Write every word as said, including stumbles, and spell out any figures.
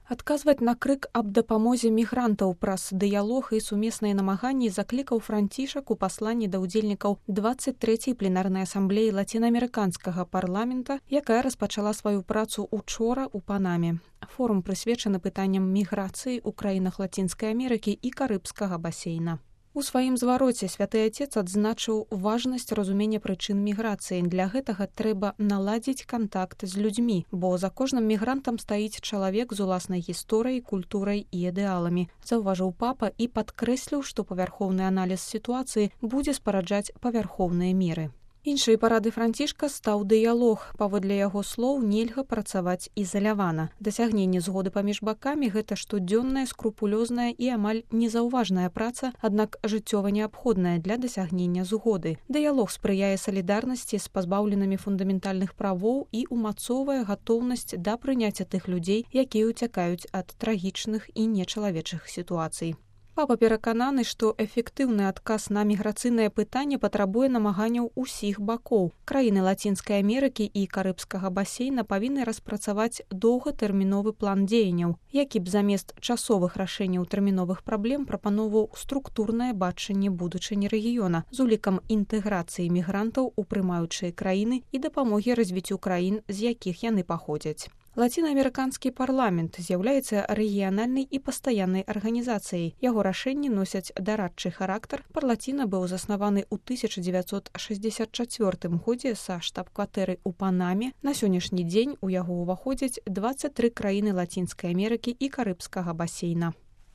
Адказваць на крык аб дапамозе мігрантаў праз дыялог і сумесныя намаганні заклікаў Францішак у пасланні да ўдзельнікаў дваццаць трэцяй пленарнай асамблеі лацінаамерыканскага парламента, якая распачала сваю працу учора ў Панаме. Форум прысвечаны пытанням міграцыі ў краінах Лацінскай Амерыкі і Карыбскага басейна. У сваім звароце святы Отец адзначыў важнасць разумення прычын міграцыі. Для гэтага трэба наладзіць кантакт з людзьмі, бо за кожным мігрантам стаіць чалавек з уласнай гісторыяй, культурай і ідэаламі. Заўважыў папа і падкрэсліў, што павярхоўны аналіз сітуацыі будзе спараджаць павярхоўныя меры. Іншай парады Францішка стаў дыялог. Паводле яго слоў, нельга працаваць ізалявана. Дасягненне згоды паміж бакамі – гэта штодзённая, скрупулёзная і амаль незаўважная праца, аднак жыццёва неабходная для дасягнення згоды. Дыялог спрыяе салідарнасці з пазбаўленымі фундаментальных правоў і умацоўвае гатоўнасць да прыняцця тых людзей, якія ўцякаюць ад трагічных і нечалавечых сітуацый. Папа перакананы, што эфектыўны адказ на міграцыйнае пытанне патрабуе намаганняў усіх бакоў. Краіны Лацінскай Амерыкі і Карыбскага басейна павінны распрацаваць доўгатэрміновы план дзеянняў, які б замест часовых рашэнняў тэрміновых праблем прапаноўваў структурнае бачанне будучыні рэгіёна з улікам інтэграцыі мігрантаў у прымаючыя краіны і дапамогі развіццю краін, з якіх яны паходзяць. Лацінаамерыканскі парламент з'яўляецца рэгіянальнай і пастаяннай арганізацыяй. Яго рашэнні носяць дарадчы характар. Парлаціна быў заснаваны ў тысяча дзевяцьсот шэсцьдзесят чацвёртым годзе са штаб-кватэры ў Панаме. На сённяшні дзень у яго ўваходзяць дваццаць тры краіны Лацінскай Амерыкі і Карыбскага басейна.